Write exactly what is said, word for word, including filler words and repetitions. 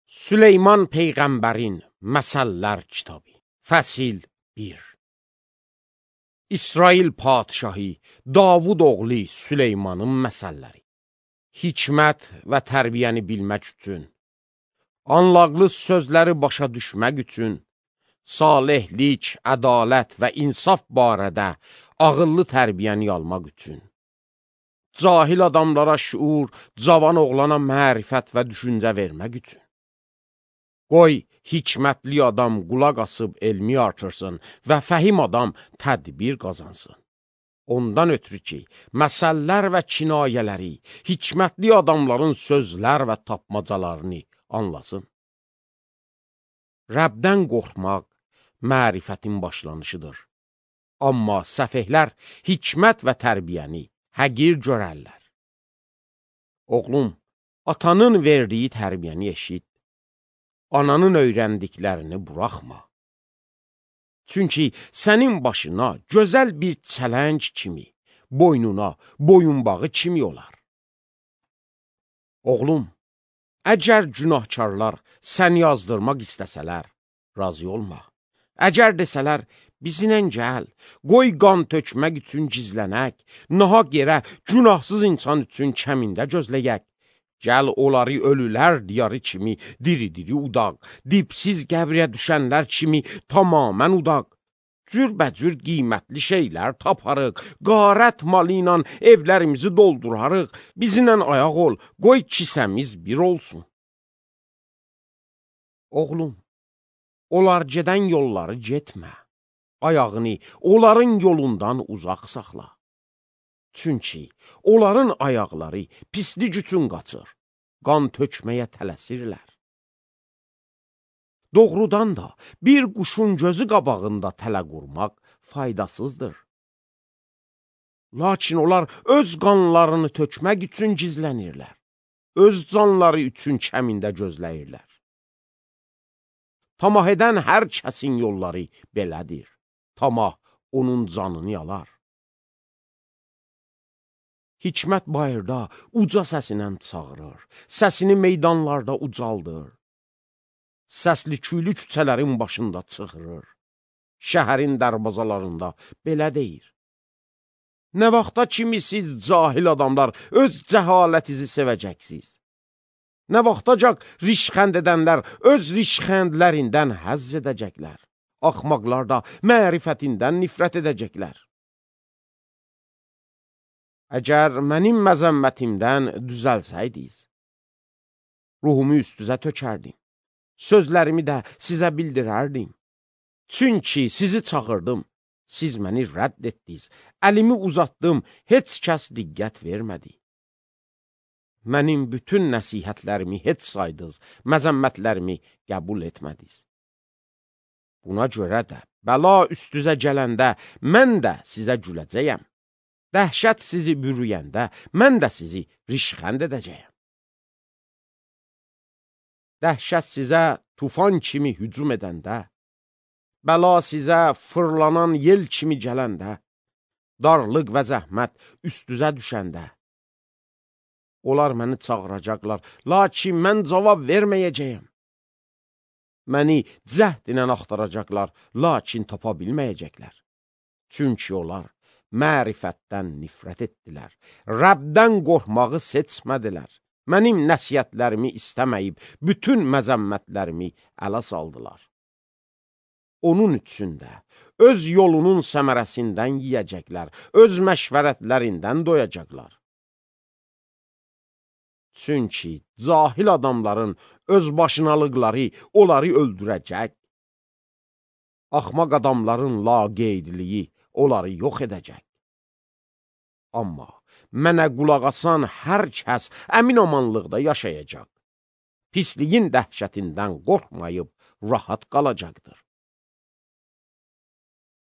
Süleyman Peyğəmbərin Məsəllər kitabı, Fəsil bir. İsrail padişahı Davud oğlu Süleymanın məsəlləri. Hikmət və tərbiyəni bilmək üçün, anlaqlı sözləri başa düşmək üçün, salihlik, ədalət və insaf barədə ağıllı tərbiyəni almaq üçün, cahil adamlara şuur, cavan oğlana mərifət və düşüncə vermək üçün. Qoy, hikmətli adam qulaq asıb elmi artırsın və fəhim adam tədbir qazansın. Ondan ötürü ki, məsəllər və kinayələri, hikmətli adamların sözlər və tapmacalarını anlasın. Rəbdən qorxmaq mərifətin başlanışıdır. Amma səfehlər hikmət və tərbiyəni həqir görərlər. Oğlum, atanın verdiyi tərbiyəni eşit. Ananın öyrəndiklərini buraxma. Çünki sənin başına gözəl bir çələng kimi, boynuna boyunbağı kimi olar. Oğlum, əgər günahkarlar səni yazdırmaq istəsələr, razı olma. Əgər desələr, bizinlə gəl, qoy qan tökmək üçün gizlənək, nahaq yerə günahsız insan üçün kəmində gözləyək. Gəl onları ölülər diyarı kimi diri-diri udaq, dipsiz qəbriyə düşənlər kimi tamamən udaq. Cürbəcür qiymətli şeylər taparıq, qarət malı ilə evlərimizi doldurarıq, bizimlə ayaq ol, qoy kisəmiz bir olsun. Oğlum, onlar gedən yolları getmə, ayağını onların yolundan uzaq saxla. Çünki onların ayaqları pislik üçün qaçır, qan tökməyə tələsirlər. Doğrudan da bir quşun gözü qabağında tələ qurmaq faydasızdır. Lakin onlar öz qanlarını tökmək üçün gizlənirlər, öz canları üçün kəmində gözləyirlər. Tamah edən hər kəsin yolları belədir, tamah onun canını yalar. Hikmət bayırda uca səsinə çağırır, səsini meydanlarda ucaldır. Səsli küylü küçələrin başında çıxırır, şəhərin dərbazalarında belə deyir. Nə vaxta kimi siz cahil adamlar öz cəhalətizi sevəcəksiniz? Nə vaxtacaq rişxənd edənlər öz rişxəndlərindən həzz edəcəklər? Axmaqlar da mərifətindən nifrət edəcəklər. Əgər mənim məzəmmətimdən düzəlsəydiniz, ruhumu üstüzə tökərdim, sözlərimi də sizə bildirərdim. Çünki sizi çağırdım, siz məni rədd etdiniz, əlimi uzatdım, heç kəs diqqət vermədi. Mənim bütün nəsihətlərimi heç saydınız, məzəmmətlərimi qəbul etmədiniz. Buna görə də bəla üstüzə gələndə mən də sizə güləcəyəm. Dəhşət sizi bürüyəndə, mən də sizi rişxənd edəcəyəm. Dəhşət sizə tufan kimi hücum edəndə, bəla sizə fırlanan yel kimi gələndə, darlıq və zəhmət üstüzə düşəndə, onlar məni çağıracaqlar, lakin mən cavab verməyəcəyəm. Məni cəhd ilə axtaracaqlar, lakin tapa bilməyəcəklər. Çünki onlar mərifətdən nifrət etdilər, Rəbdən qorxmağı seçmədilər, mənim nəsiyyətlərimi istəməyib, bütün məzəmmətlərimi ələ saldılar. Onun üçün də öz yolunun səmərəsindən yiyəcəklər, öz məşvərətlərindən doyacaqlar. Çünki cahil adamların öz başınalıqları onları öldürəcək, axmaq adamların laqeydliyi onları yox edəcək. Amma mənə qulaq asan hər kəs əmin amanlıqda yaşayacaq. Pisliyin dəhşətindən qorxmayıb rahat qalacaqdır.